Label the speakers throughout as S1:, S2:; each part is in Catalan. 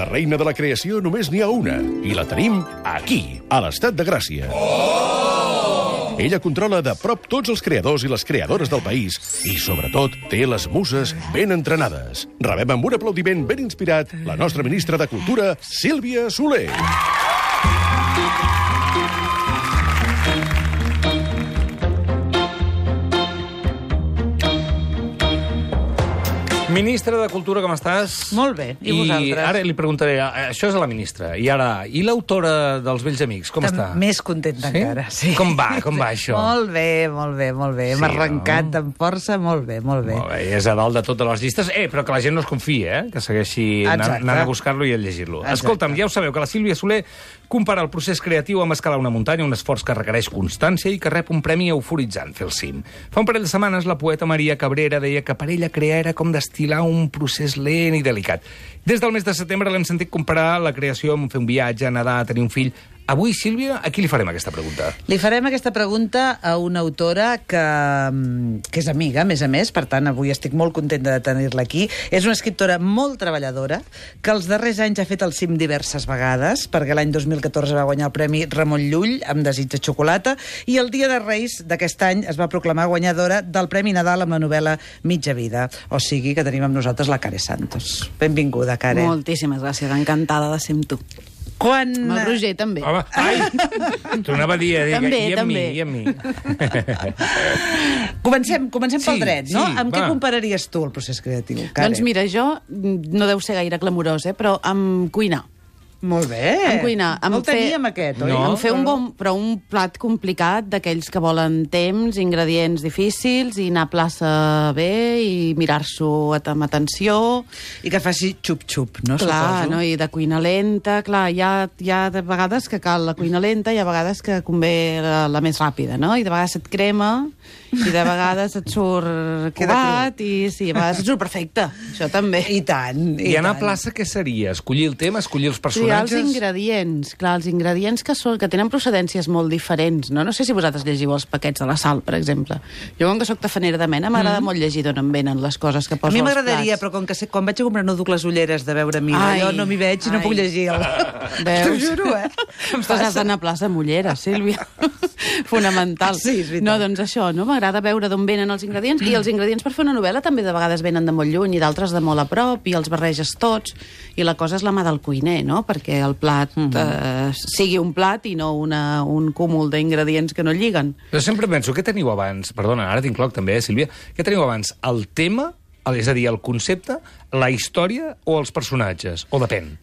S1: La reina de la creació només n'hi ha una, i la tenim aquí, a l'Estat de Gràcia. Ella controla de prop tots els creadors i les creadores del país i, sobretot, té les muses ben entrenades. Rebem amb un aplaudiment ben inspirat la nostra ministra de Cultura, Sílvia Soler.
S2: Ministra de Cultura, com estàs?
S3: Molt bé, i vosaltres?
S2: I ara li preguntaré, això és a la ministra, i ara, i l'autora dels Vells Amics, com està?
S3: Més contenta encara, sí.
S2: Com va això?
S3: Molt bé, molt bé, molt bé. Hem arrencat amb força, molt bé, molt bé.
S2: Molt bé, és a dalt de totes les llistes, però que la gent no es confia, que segueixi anant a buscar-lo i a llegir-lo. Escolta'm, ja ho sabeu, que la Sílvia Soler compara el procés creatiu amb escalar una muntanya, un esforç que requereix constància i que rep un premi euforitzant fer el cim. Fa un parell de setmanes, la poeta Maria Cabrera deia que per ella crear era com destil·lar un procés lent i delicat. Des del mes de setembre l'hem sentit comparar la creació amb fer un viatge, nedar, tenir un fill. Avui, Sílvia, a qui li farem aquesta pregunta?
S3: Li farem aquesta pregunta a una autora que és amiga, a més, per tant, avui estic molt contenta de tenir-la aquí. És una escriptora molt treballadora, que els darrers anys ha fet el cim diverses vegades, perquè l'any 2014 va guanyar el Premi Ramon Llull amb Desig de xocolata, i el dia de Reis d'aquest any es va proclamar guanyadora del Premi Nadal amb la novel·la Mitja vida. O sigui que tenim amb nosaltres la Care Santos. Benvinguda, Care.
S4: Moltíssimes gràcies, encantada de ser amb tu.
S3: Quan...
S4: Amb el Roger, també.
S2: Home, tornava a dir,
S4: també,
S2: i a mi.
S3: Comencem pel dret, no?
S2: Sí,
S3: amb què compararies tu el procés creatiu, Care?
S4: Doncs mira, jo no deu ser gaire clamorós, però amb cuinar.
S3: Molt bé.
S4: Amb cuinar.
S3: No el teníem, aquest, oi?
S4: En fer un plat complicat d'aquells que volen temps, ingredients difícils, i anar a plaça bé, i mirar-s'ho amb atenció.
S3: I que faci xup-xup, no?
S4: Clar,
S3: suposo.
S4: no? I de cuina lenta. Clar, hi ha de vegades que cal la cuina lenta, i a vegades que convé la més ràpida, no? I de vegades et crema, i de vegades et surt covat, i sí, a vegades et surt perfecte. Això també.
S3: I tant.
S2: I anar a plaça, què seria? Escollir el tema, escollir els personatges?
S4: Els ingredients, clar, els ingredients que tenen procedències molt diferents, no? No sé si vosaltres llegiu els paquets de la sal, per exemple. Jo, com que soc tafanera de mena, m'agrada molt llegir d'on em venen les coses que poso als plats.
S3: A mi m'agradaria, però com que quan vaig a comprar no duc les ulleres de veure mi, jo no m'hi veig i no puc llegir.
S4: Veus?
S3: T'ho juro,
S4: Estàs has d'anar a plaça amb ulleres, Sílvia. Fonamental.
S3: Sí, és veritat.
S4: No, doncs això, no? M'agrada veure d'on venen els ingredients, i els ingredients per fer una novel·la també de vegades venen de molt lluny i d'altres de molt a prop, i els barreges tots, i la cosa és la mà del cuiner, no? Perquè el plat sigui un plat i no un cúmul d'ingredients que no lliguen.
S2: Però sempre penso, què teniu abans? Perdona, ara t'incloc també, Sílvia. Què teniu abans? El tema, és a dir, el concepte, la història o els personatges? O depèn?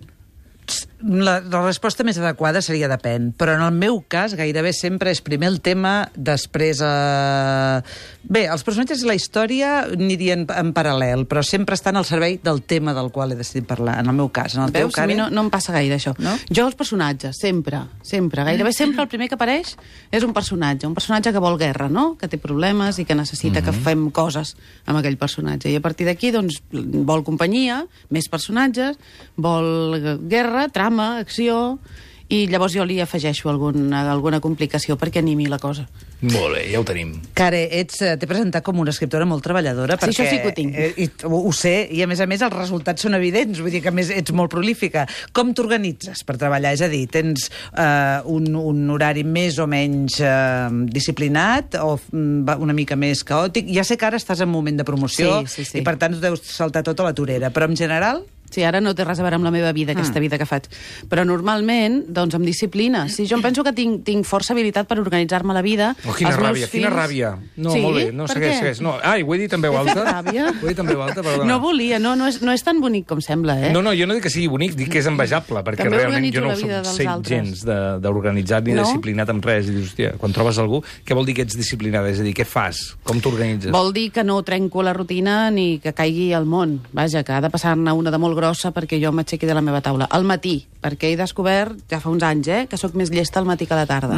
S3: La resposta més adequada seria depèn, però en el meu cas gairebé sempre és primer el tema, després... Bé, els personatges i la història anirien en paral·lel, però sempre estan al servei del tema del qual he decidit parlar, en el meu cas. En el teu,
S4: Veus? A mi no em passa gaire, això.
S3: No?
S4: Jo, els personatges, sempre, gairebé sempre el primer que apareix és un personatge que vol guerra, no? Que té problemes i que necessita que fem coses amb aquell personatge. I a partir d'aquí, doncs, vol companyia, més personatges, vol guerra, trama, acció, i llavors jo li afegeixo alguna complicació perquè animi la cosa.
S2: Molt bé, ja ho tenim.
S3: Care, t'he presentat com una escriptora molt treballadora,
S4: Sí,
S3: perquè
S4: això sí que ho tinc.
S3: Ho sé, i a més els resultats són evidents, vull dir que a més ets molt prolífica. Com t'organitzes per treballar? És a dir, tens un horari més o menys disciplinat o una mica més caòtic? Ja sé que ara estàs en moment de promoció
S4: Sí.
S3: i per tant deus saltar tota la torera, però en general...
S4: Sí, ara no té res a veure amb la meva vida, aquesta vida que faig. Però normalment, doncs, amb disciplina. Sí, jo em penso que tinc força habilitat per organitzar-me la vida.
S2: Oh, quina ràbia. No,
S4: sí?
S2: molt bé. No, segueix. No. Ai, ho he dit en veu alta.
S4: Ràbia?
S2: Ho he dit en veu alta, perdona.
S4: No volia, no és tan bonic com sembla, eh?
S2: No, jo no dic que sigui bonic, dic que és envejable, perquè
S4: També
S2: realment jo no
S4: organitzo la vida dels
S2: soc
S4: altres.
S2: gens d'organitzat ni disciplinat amb res. I dius, hòstia, quan trobes algú, què vol dir que ets disciplinada? És a dir, què fas? Com t'organitzes?
S4: Vol dir que no trenco la rutina ni que caigui al món. Vaja, que ha de passar-ne una de molt grossa perquè jo m'aixequi de la meva taula. Al matí, perquè he descobert, ja fa uns anys, que sóc més llesta al matí que a la tarda.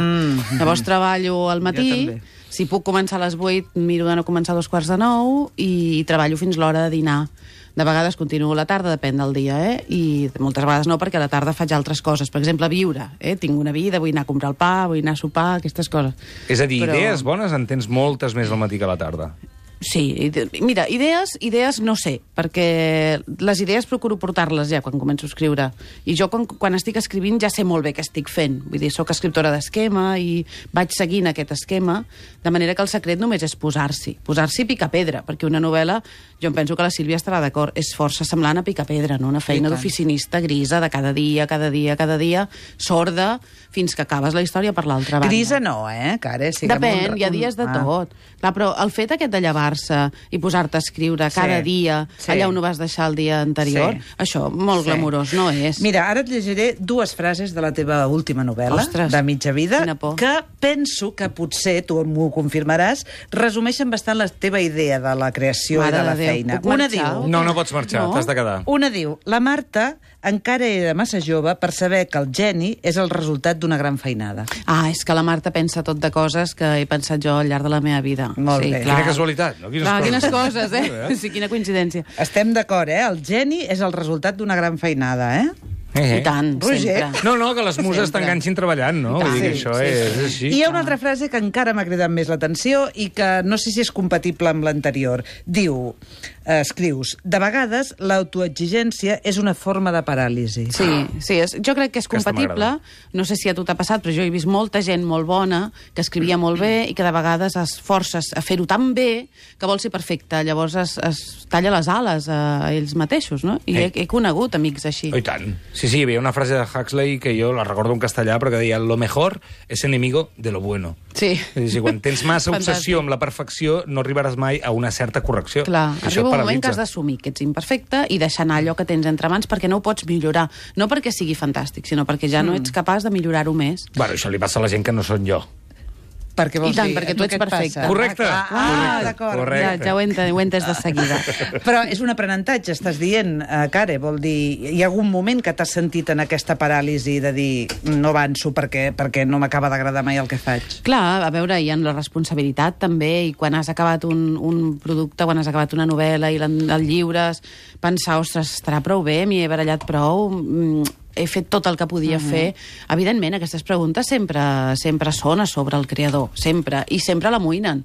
S4: Llavors treballo al matí, si puc començar a les 8, miro de no començar a 8:45 i treballo fins l'hora de dinar. De vegades continuo a la tarda, depèn del dia, i moltes vegades no, perquè a la tarda faig altres coses. Per exemple, viure. Tinc una vida, vull anar a comprar el pa, vull anar a sopar, aquestes coses.
S2: És a dir, idees bones en tens moltes més al matí que a la tarda.
S4: Sí, mira, idees no sé, perquè les idees procuro portar-les ja quan començo a escriure. I jo quan estic escrivint ja sé molt bé què estic fent. Vull dir, soc escriptora d'esquema i vaig seguint aquest esquema, de manera que el secret només és posar-s'hi. Posar-s'hi i picar pedra, perquè una novel·la, jo em penso que la Sílvia estarà d'acord, és força semblant a picar pedra, no? Una feina d'oficinista grisa de cada dia, sorda, fins que acabes la història per l'altra banda.
S3: Grisa no, Care?
S4: Depèn, hi ha dies de tot. Clar, però el fet aquest de llevar-se i posar-te a escriure cada dia, allà on ho vas deixar el dia anterior, això molt glamurós no és.
S3: Mira, ara et llegiré 2 frases de la teva última novel·la, de Mitja vida, que penso que potser, tu m'ho confirmaràs, resumeixen bastant la teva idea de la creació i de la feina.
S4: Una diu...
S2: No pots marxar, t'has de quedar.
S3: Una diu, la Marta encara era massa jove per saber que el geni és el resultat d'una gran feinada.
S4: Ah, és que la Marta pensa tot de coses que he pensat jo al llarg de la meva vida.
S3: Molt bé.
S2: Quina casualitat, no?
S4: Quines coses, Sí, quina coincidència.
S3: Estem d'acord, El geni és el resultat d'una gran feinada,
S4: I tant,
S3: Roger.
S4: sempre.
S2: No, que les muses t'enganxin treballant, no? Vull dir que això és així.
S3: I hi ha una altra frase que encara m'ha cridat més l'atenció i que no sé si és compatible amb l'anterior. Diu, escrius, de vegades l'autoexigència és una forma de paràlisi.
S4: Sí, jo crec que és compatible. No sé si a tu t'ha passat, però jo he vist molta gent molt bona que escrivia molt bé i que de vegades es forces a fer-ho tan bé que vol ser perfecte. Llavors es talla les ales a ells mateixos, no? I he conegut amics així.
S2: Oh, i tant. Sí, hi havia una frase de Huxley que jo la recordo en castellà, però que deia lo mejor es enemigo de lo bueno.
S4: Sí.
S2: És a dir, quan tens massa obsessió amb la perfecció, no arribaràs mai a una certa correcció.
S4: Clar, arriba un moment que has d'assumir que ets imperfecte i deixar anar allò que tens entre mans perquè no ho pots millorar. No perquè sigui fantàstic, sinó perquè ja no ets capaç de millorar-ho més.
S2: Bueno, això li passa a la gent que no són jo.
S3: Perquè vols dir,
S4: perquè tu ets perfecte.
S2: Correcte.
S3: D'acord.
S4: Ja ho he entès de seguida.
S3: Però és un aprenentatge, estàs dient, Care, vol dir, hi ha algun moment que t'has sentit en aquesta paràlisi de dir no avanço perquè no m'acaba d'agradar mai el que faig?
S4: Clar, a veure, hi ha la responsabilitat també, i quan has acabat un producte, quan has acabat una novel·la i el lliures, pensar, ostres, estarà prou bé, m'hi he barallat prou, he fet tot el que podia fer. Evidentment, aquestes preguntes sempre són a sobre el creador, sempre, i sempre l'amoïnen.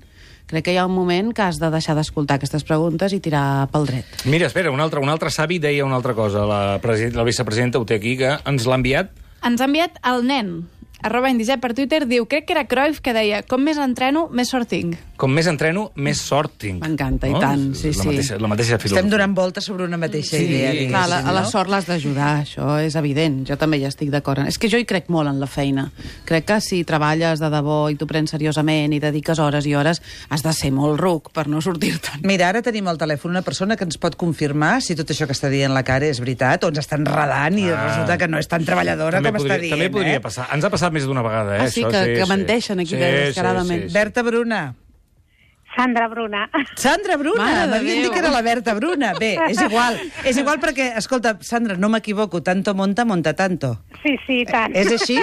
S4: Crec que hi ha un moment que has de deixar d'escoltar aquestes preguntes i tirar pel dret.
S2: Mira, espera, un altre savi deia una altra cosa. La vicepresidenta ho té aquí, que ens l'ha enviat.
S5: Ens ha enviat el nen, @Indisep per Twitter, diu, crec que era Cruyff, que deia, com més entreno, més sort tinc.
S2: Com més entreno, més sort tinc.
S4: M'encanta, i tant, sí.
S2: La mateixa filosofia.
S3: Estem donant voltes sobre una mateixa idea.
S4: Clar, a la sort l'has d'ajudar, això és evident. Jo també hi estic d'acord. És que jo hi crec molt en la feina. Crec que si treballes de debò i t'ho prens seriosament i dediques hores i hores, has de ser molt ruc per no sortir-te'n.
S3: Mira, ara tenim al telèfon una persona que ens pot confirmar si tot això que està dient la Cara és veritat o ens està enredant i resulta que no és tan treballadora com està dient.
S2: També podria passar. Ens ha passat més d'una vegada,
S4: sí, que menteixen aquí descaradament.
S3: Berta Bruna.
S6: Sandra Bruna.
S3: Sandra Bruna! M'havien dit que era la Berta Bruna. Bé, és igual perquè, escolta, Sandra, no m'equivoco, tanto monta tanto.
S6: Sí, tant.
S3: És així?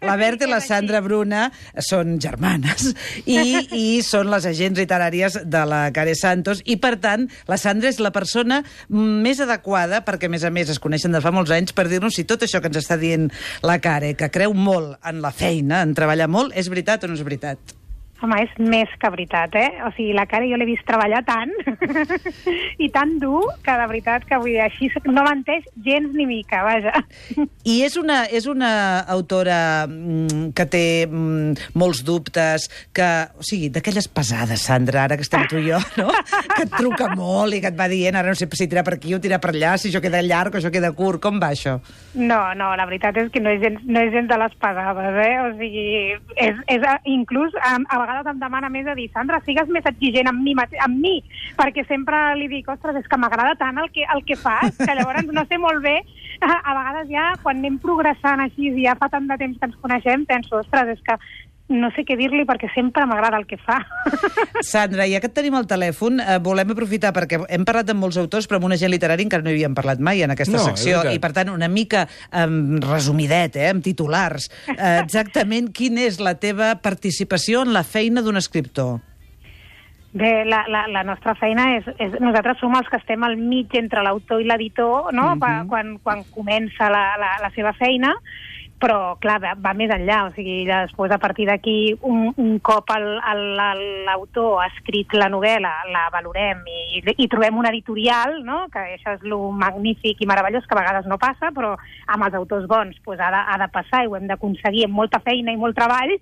S3: La Berta i la Sandra Bruna són germanes i són les agents literàries de la Care Santos i, per tant, la Sandra és la persona més adequada, perquè, a més, es coneixen de fa molts anys, per dir-nos si tot això que ens està dient la Care, que creu molt en la feina, en treballar molt, és veritat o no és veritat?
S6: Home, és més que veritat, O sigui, la Cara jo l'he vist treballar tant i tan dur que de veritat que vull dir, així no menteix gens ni mica, vaja.
S3: I és una autora que té molts dubtes, o sigui, d'aquelles pesades, Sandra, ara que estem tu i jo, no? Que et truca molt i que et va dient, ara no sé si tirar per aquí o tirar per allà, si això queda llarg o això queda curt, com va això?
S6: No, la veritat és que no és gens de les pesades, O sigui, és inclús a vegades em demana més de dir, Sandra, sigues més exigent amb mi, perquè sempre li dic, ostres, és que m'agrada tant el que fas, que llavors no sé molt bé, a vegades ja, quan anem progressant així, ja fa tant de temps que ens coneixem, penso, ostres, és que no sé què dir-li perquè sempre m'agrada el que fa.
S3: Sandra, ja que et tenim al telèfon, volem aprofitar perquè hem parlat amb molts autors, però amb un agent literari encara no hi havíem parlat mai en aquesta secció, i per tant una mica resumidet, amb titulars. Exactament quina és la teva participació en la feina d'un escriptor?
S6: Bé, la nostra feina és... Nosaltres som els que estem al mig entre l'autor i l'editor, no? Quan comença la seva feina, però, clar, va més enllà. O sigui, després, a partir d'aquí, un cop l'autor ha escrit la novel·la, la valorem i trobem un editorial, no?, que això és lo magnífic i meravellós, que a vegades no passa, però amb els autors bons pues, ha de passar i ho hem d'aconseguir amb molta feina i molt treball.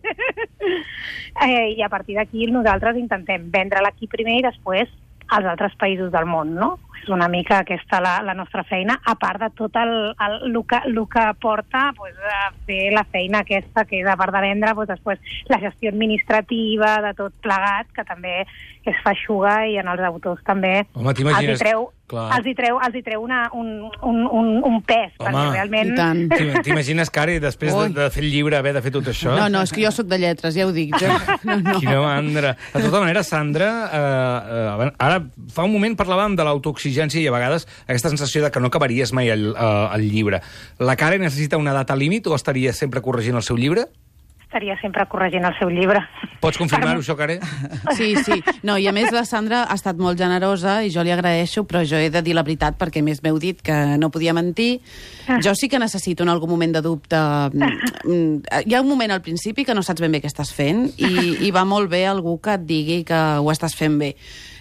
S6: I a partir d'aquí nosaltres intentem vendre-la aquí primer i després als altres països del món, no? És una mica aquesta la nostra feina, a part de tot el que porta pues, a fer la feina aquesta, que és a part de vendre, pues, després la gestió administrativa de tot plegat, que també és feixuga i en els autors també els hi treu un pes, perquè realment...
S2: T'imagines, Cari, després de fer el llibre, haver de fer tot això?
S4: No, és que jo sóc de lletres, ja ho dic. No.
S2: Quina mandra. De tota manera, Sandra, ara fa un moment parlàvem de l'autoexigència i a vegades aquesta sensació de que no acabaries mai el llibre. La Cari necessita una data límit o estaria sempre corregint el seu llibre?
S6: Estaria sempre corregint el seu llibre.
S2: Pots confirmar-ho, això, Cari?
S4: Sí. No, i a més la Sandra ha estat molt generosa i jo li agraeixo, però jo he de dir la veritat perquè més m'heu dit que no podia mentir. Jo sí que necessito en algun moment de dubte... Hi ha un moment al principi que no saps ben bé què estàs fent i va molt bé algú que et digui que ho estàs fent bé.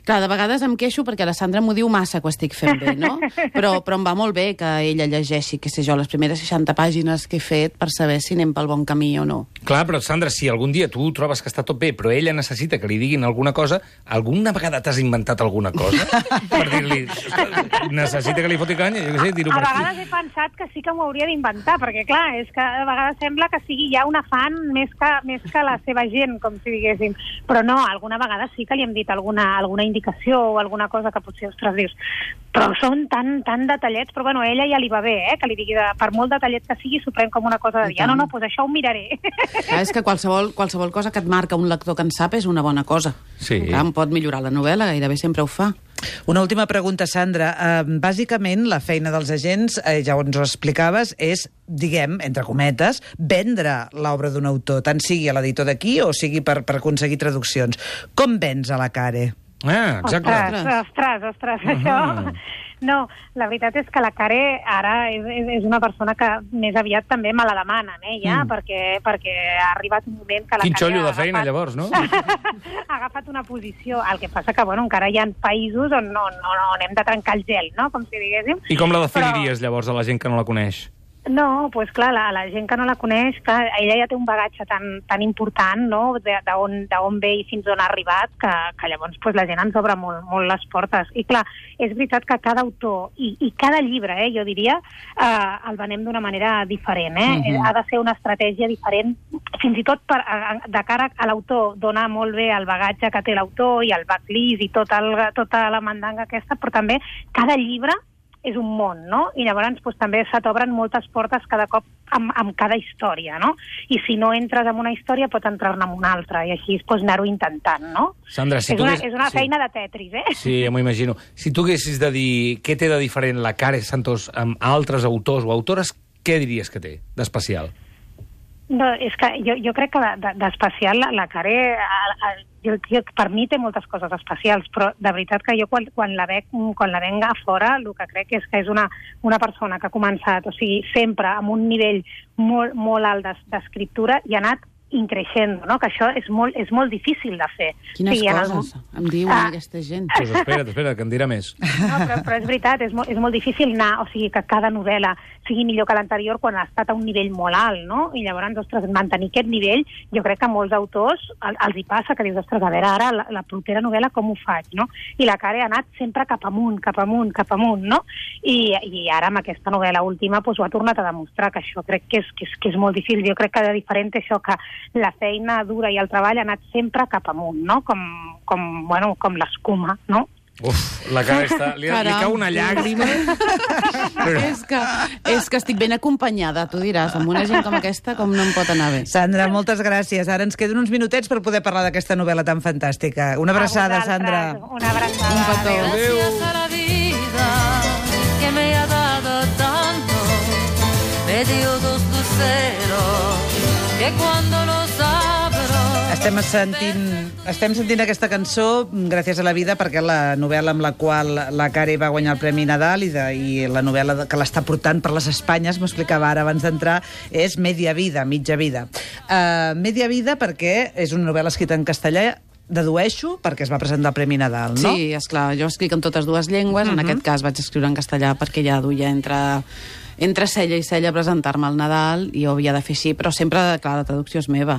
S4: Clar, de vegades em queixo perquè la Sandra m'ho diu massa que ho estic fent bé, no? Però em va molt bé que ella llegeixi, què sé jo, les primeres 60 pàgines que he fet per saber si anem pel bon camí o no.
S2: Clar, però Sandra, si algun dia tu trobes que està tot bé, però ella necessita que li diguin alguna cosa, alguna vegada t'has inventat alguna cosa? Per dir-li, necessita que li foti canya? Jo què sé, dir-ho per aquí.
S6: A vegades he pensat que sí que m'ho hauria d'inventar, perquè clar, és que a vegades sembla que sigui ja un afant més que la seva gent, com si diguéssim. Però no, alguna vegada sí que li hem dit alguna indicació o alguna cosa que potser, ostres, dius, però són tan detallets, però bueno, a ella ja li va bé, que li digui, per molt detallet que sigui, s'ho pren com una cosa de dir, no, doncs això ho miraré.
S4: És que qualsevol cosa que et marca un lector que en sap és una bona cosa.
S2: Sí.
S4: Em pot millorar la novel·la, gairebé sempre ho fa.
S3: Una última pregunta, Sandra. Bàsicament, la feina dels agents, ja ens ho explicaves, és, diguem, entre cometes, vendre l'obra d'un autor, tant sigui a l'editor d'aquí o sigui per aconseguir traduccions. Com vens a la Cari?
S2: Exacte.
S6: Ostres, això... No, la veritat és que la Cari ara és una persona que més aviat també me la demanen, ja, perquè ha arribat un moment que la Cari...
S2: Quin xollo de feina, llavors, no?
S6: Ha agafat una posició, el que passa que, bueno, encara hi ha països on hem de trencar el gel, no?, com si diguéssim.
S2: I com la definiries, llavors, a la gent que no la coneix?
S6: No, doncs clar, la gent que no la coneix, clar, ella ja té un bagatge tan important, no?, d'on ve i fins on ha arribat, que llavors la gent ens obre molt les portes. I clar, és veritat que cada autor i cada llibre, jo diria, el venem d'una manera diferent, Ha de ser una estratègia diferent, fins i tot de cara a l'autor, dona molt bé el bagatge que té l'autor i el backlist i tota la mandanga aquesta, però també cada llibre és un món, no? I llavors també se t'obren moltes portes cada cop amb cada història, no? I si no entres en una història, pot entrar-ne en una altra, i així anar-ho intentant, no?
S2: Sandra, si
S6: és una feina de Tetris,
S2: Sí, m'ho imagino. Si tu haguessis de dir què té de diferent la Cari Santos amb altres autors o autores, què diries que té d'especial?
S6: No, és que jo crec que d'especial la Cari, per mi té moltes coses especials, però de veritat que jo quan la venc a fora, el que crec és que és una persona que ha començat, o sigui, sempre amb un nivell molt alt d'escriptura i ha anat increixent, no? Que això és molt difícil de fer.
S4: Quines coses em diuen aquesta gent.
S2: Pues espera, que em dirà més.
S6: No, però és veritat, és molt difícil anar, o sigui, que cada novel·la sigui millor que l'anterior quan ha estat a un nivell molt alt, no? I llavors, ostres, mantenir aquest nivell, jo crec que a molts autors els hi passa, que dius, ostres, a veure, ara la propera novel·la com ho faig, no? I la Cari ha anat sempre cap amunt, no? I ara amb aquesta novel·la última ho ha tornat a demostrar, que això crec que és molt difícil. Jo crec que de diferent això, que la feina dura i el treball ha anat sempre cap amunt, no? Com l'escuma, no?
S2: Uf, la cara està... Li cau una llàgrima.
S4: És que estic ben acompanyada, tu diràs. Amb una gent com aquesta, com no em pot anar bé.
S3: Sandra, moltes gràcies. Ara ens queden uns minutets per poder parlar d'aquesta novel·la tan fantàstica. Una abraçada, Sandra.
S6: Una abraçada.
S4: Un petó.
S7: Gracias a la vida que me ha dado tanto, me dio dos luceros que cuando los abro
S3: Estem sentint aquesta cançó gràcies a la vida perquè la novel·la amb la qual la Kare va guanyar el Premi Nadal i la novel·la que l'està portant per les Espanyes, m'explicava ara abans d'entrar, és Media Vida, mitja vida. Media vida perquè és una novel·la escrita en castellà, dedueixo, perquè es va presentar el Premi Nadal, no?
S4: Sí, esclar, jo escric en totes dues llengües, en aquest cas vaig escriure en castellà perquè ja duia entre cella i cella a presentar-me al Nadal i ho havia de fer així, però sempre, clar, la traducció és meva,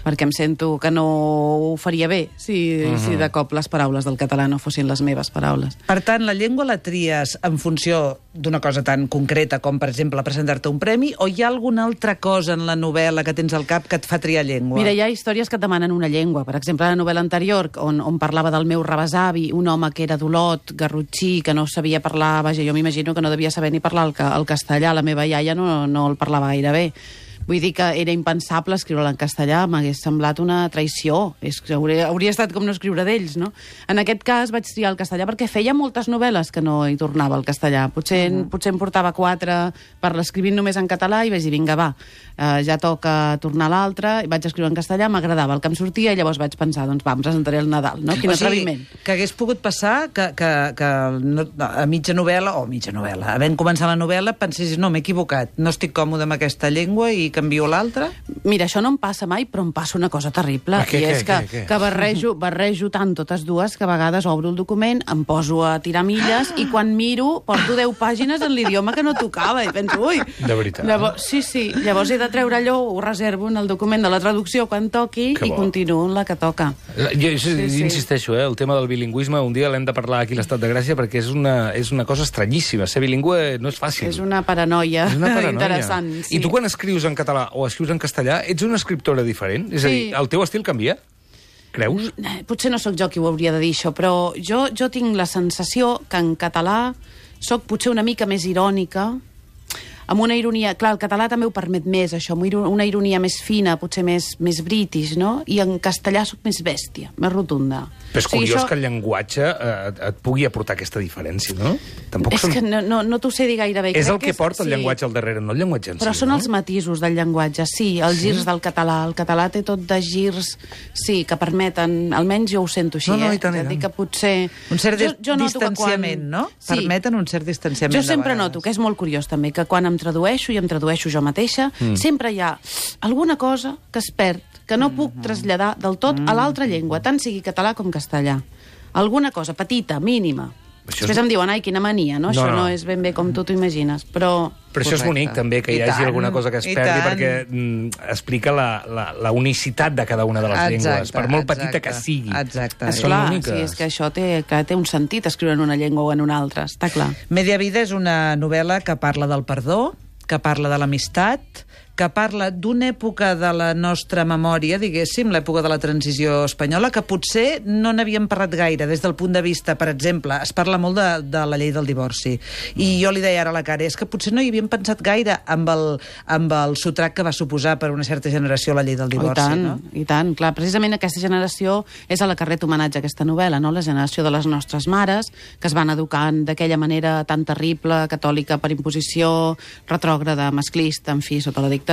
S4: perquè em sento que no ho faria bé si de cop les paraules del català no fossin les meves paraules.
S3: Per tant, la llengua la tries en funció d'una cosa tan concreta com, per exemple, presentar-te un premi, o hi ha alguna altra cosa en la novel·la que tens al cap que et fa triar llengua?
S4: Mira, hi ha històries que et demanen una llengua. Per exemple, la novel·la anterior, on parlava del meu rebesavi, un home que era d'Olot, garrotxí, que no sabia parlar, vaja, jo m'imagino que no devia saber ni parlar el castellà, la meva iaia no el parlava gaire bé. Vull dir que era impensable escriure-la en castellà, m'hagués semblat una traïció. Hauria estat com no escriure d'ells, no? En aquest cas vaig triar el castellà perquè feia moltes novel·les que no hi tornava el castellà. Potser em portava 4 per l'escrivint només en català i vaig dir, vinga, va, ja toca tornar a l'altre, i vaig escriure en castellà, m'agradava el que em sortia i llavors vaig pensar, doncs va, em presentaré el Nadal, no? Quin atreviment.
S3: Que hagués pogut passar que a mitja novel·la, havent començat la novel·la, pensessis, no, m'he equivocat, no estic còmode amb aquesta llengua i canvio l'altra?
S4: Mira, això no em passa mai, però em passa una cosa terrible. I és que barrejo tant totes dues que a vegades obro el document, em poso a tirar milles i quan miro porto 10 pàgines en l'idioma que no tocava i penso, ui...
S2: De veritat.
S4: Sí. Llavors he de treure allò, ho reservo en el document de la traducció quan toqui i continuo en la que toca.
S2: Jo insisteixo, el tema del bilingüisme, un dia l'hem de parlar aquí a l'Estat de Gràcia perquè és una cosa estranyíssima. Ser bilingüe no és fàcil.
S4: És una paranoia interessant.
S2: I tu quan escrius en català o escrius en castellà, ets una escriptora diferent? És a dir, el teu estil canvia? Creus?
S4: Potser no sóc jo qui ho hauria de dir, això, però jo tinc la sensació que en català sóc potser una mica més irònica, amb una ironia... Clar, el català també ho permet més, això, una ironia més fina, potser més british, no? I en castellà sóc més bèstia, més rotunda.
S2: Però és curiós que el llenguatge et pugui aportar aquesta diferència, no?
S4: És que no t'ho sé dir gaire bé.
S2: És el que porta el llenguatge al darrere, no el llenguatge en si.
S4: Però són els matisos del llenguatge, sí, els girs del català. El català té tot de girs, sí, que permeten, almenys jo ho sento així,
S3: i tant.
S4: És a dir, que potser...
S3: Un cert distanciament, no? Permeten un cert distanciament de vegades.
S4: Jo sempre noto, que és molt curiós també, que quan em tradueixo, i em tradueixo jo mateixa, sempre hi ha alguna cosa que es perd, que no puc traslladar del tot a l'altra llengua, tant sigui català com castellà. Alguna cosa petita, mínima. Després em diuen, ai, quina mania, no? Això no és ben bé com tu t'ho imagines, però...
S2: Però això és bonic, també, que hi hagi alguna cosa que es perdi, perquè explica la unicitat de cada una de les llengües, per molt petita que sigui.
S3: Exacte.
S4: Esclar, sí, és que això té un sentit, escriure en una llengua o en una altra, està clar.
S3: Media Vida és una novel·la que parla del perdó, que parla de l'amistat, que parla d'una època de la nostra memòria, diguéssim, l'època de la transició espanyola, que potser no n'havíem parlat gaire des del punt de vista, per exemple, es parla molt de la llei del divorci. I jo li deia ara a la Kare, és que potser no hi havíem pensat gaire amb el sotrac que va suposar per una certa generació la llei del divorci, no?
S4: I tant, clar. Precisament aquesta generació és a la que ret homenatge aquesta novel·la, no? La generació de les nostres mares, que es van educant d'aquella manera tan terrible, catòlica per imposició, retrògrada, masclista, en fi, sota la dictadura,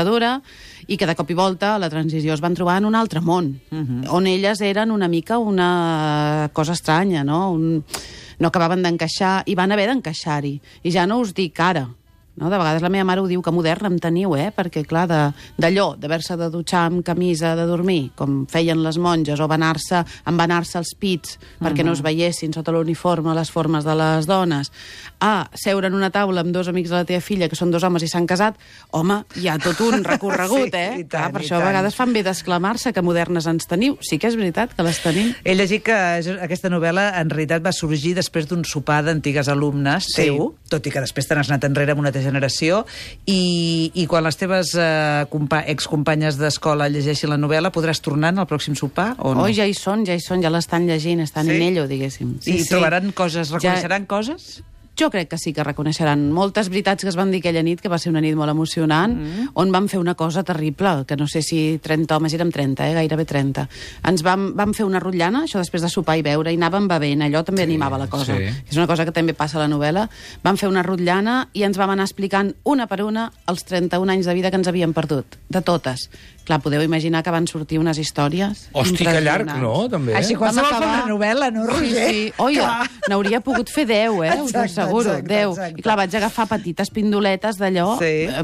S4: i que de cop i volta a la transició es van trobar en un altre món, on elles eren una mica una cosa estranya, no? No acabaven d'encaixar, i van haver d'encaixar-hi. I ja no us dic ara, no? De vegades la meva mare ho diu, que moderna em teniu, perquè clar, d'allò, d'haver-se de dutxar amb camisa de dormir, com feien les monges, o envanar-se els pits perquè no es veiessin sota l'uniforme les formes de les dones, a seure en una taula amb 2 amics de la teva filla, que són 2 homes i s'han casat, home, hi ha tot un recorregut,
S3: Sí, tant,
S4: per això a vegades fan bé d'exclamar-se que modernes ens teniu. Sí que és veritat que les tenim.
S3: He llegit que aquesta novel·la en realitat va sorgir després d'un sopar d'antigues alumnes teu, tot i que després te n'has anat enrere amb una generació, i quan les teves excompanyes d'escola llegeixin la novel·la, podràs tornar en el pròxim sopar o no?
S4: Oh, ja hi són, ja l'estan llegint, estan en ello, diguéssim.
S3: I trobaran coses, reconeixeran coses?
S4: Jo crec que sí que reconeixeran moltes veritats que es van dir aquella nit, que va ser una nit molt emocionant, on vam fer una cosa terrible, que no sé si 30 homes, érem 30, gairebé 30. Ens vam fer una rotllana, això després de sopar i beure, i anàvem bevent, allò també animava la cosa. Sí. És una cosa que també passa a la novel·la. Vam fer una rotllana i ens vam anar explicant una per una els 31 anys de vida que ens havíem perdut, de totes. Clar, podeu imaginar que van sortir unes històries
S2: Hosti, que llarg, no? També.
S3: Així qualsevol fa una novel·la, no, Roger?
S4: Sí. Oi, n'hauria pogut fer 10, us ho asseguro. 10. I clar, vaig agafar petites pindoletes d'allò,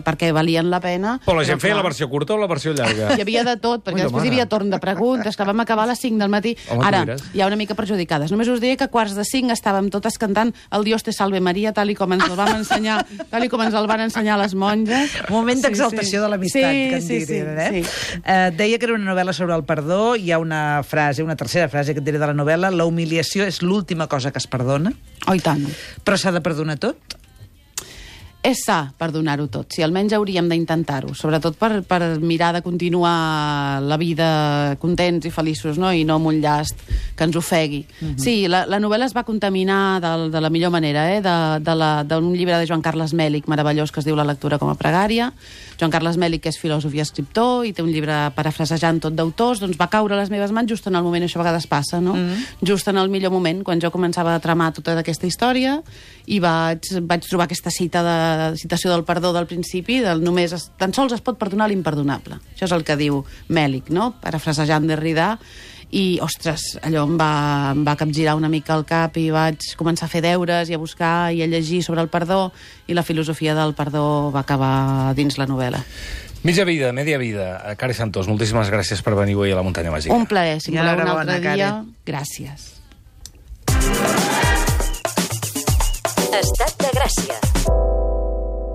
S4: perquè valien la pena.
S2: Però la gent feia la versió curta o la versió llarga?
S4: Hi havia de tot, perquè després hi havia torn de preguntes, que vam acabar a les 5 del matí. Ara, hi ha una mica perjudicades. Només us diré que a 4:45 estàvem totes cantant el Dios te salve Maria, tal i com ens el van ensenyar, el van ensenyar les monges.
S3: Un moment d'exaltació de l'amistat, que en dirien, eh? Deia que era una novel·la sobre el perdó. Hi ha una tercera frase que et diré de la novel·la: la humiliació és l'última cosa que es perdona.
S4: Oh, i tant.
S3: Però s'ha de perdonar tot?
S4: És sa perdonar-ho tot, si almenys hauríem d'intentar-ho, sobretot per mirar de continuar la vida contents i feliços, no? I no amb un llast que ens ofegui. Sí, la novel·la es va contaminar de la millor manera, d'un llibre de Joan Carles Mèlich meravellós que es diu La lectura com a pregària. Joan Carles Mèlich, que és filòsof i escriptor, i té un llibre parafrasejant tot d'autors, doncs va caure a les meves mans just en el moment, això a vegades passa, no? Just en el millor moment, quan jo començava a tramar tota aquesta història, i vaig trobar aquesta citació del perdó del principi, tan sols es pot perdonar l'imperdonable. Això és el que diu Mèlich, no? Parafrasejant Derrida. I, ostres, allò em va capgirar una mica el cap i vaig començar a fer deures i a buscar i a llegir sobre el perdó, i la filosofia del perdó va acabar dins la novel·la.
S2: Mitja vida, media vida. Cari Santos, moltíssimes gràcies per venir avui a la Muntanya Màgica.
S4: Un plaer, si voleu un altre dia. Gràcies.
S8: Estat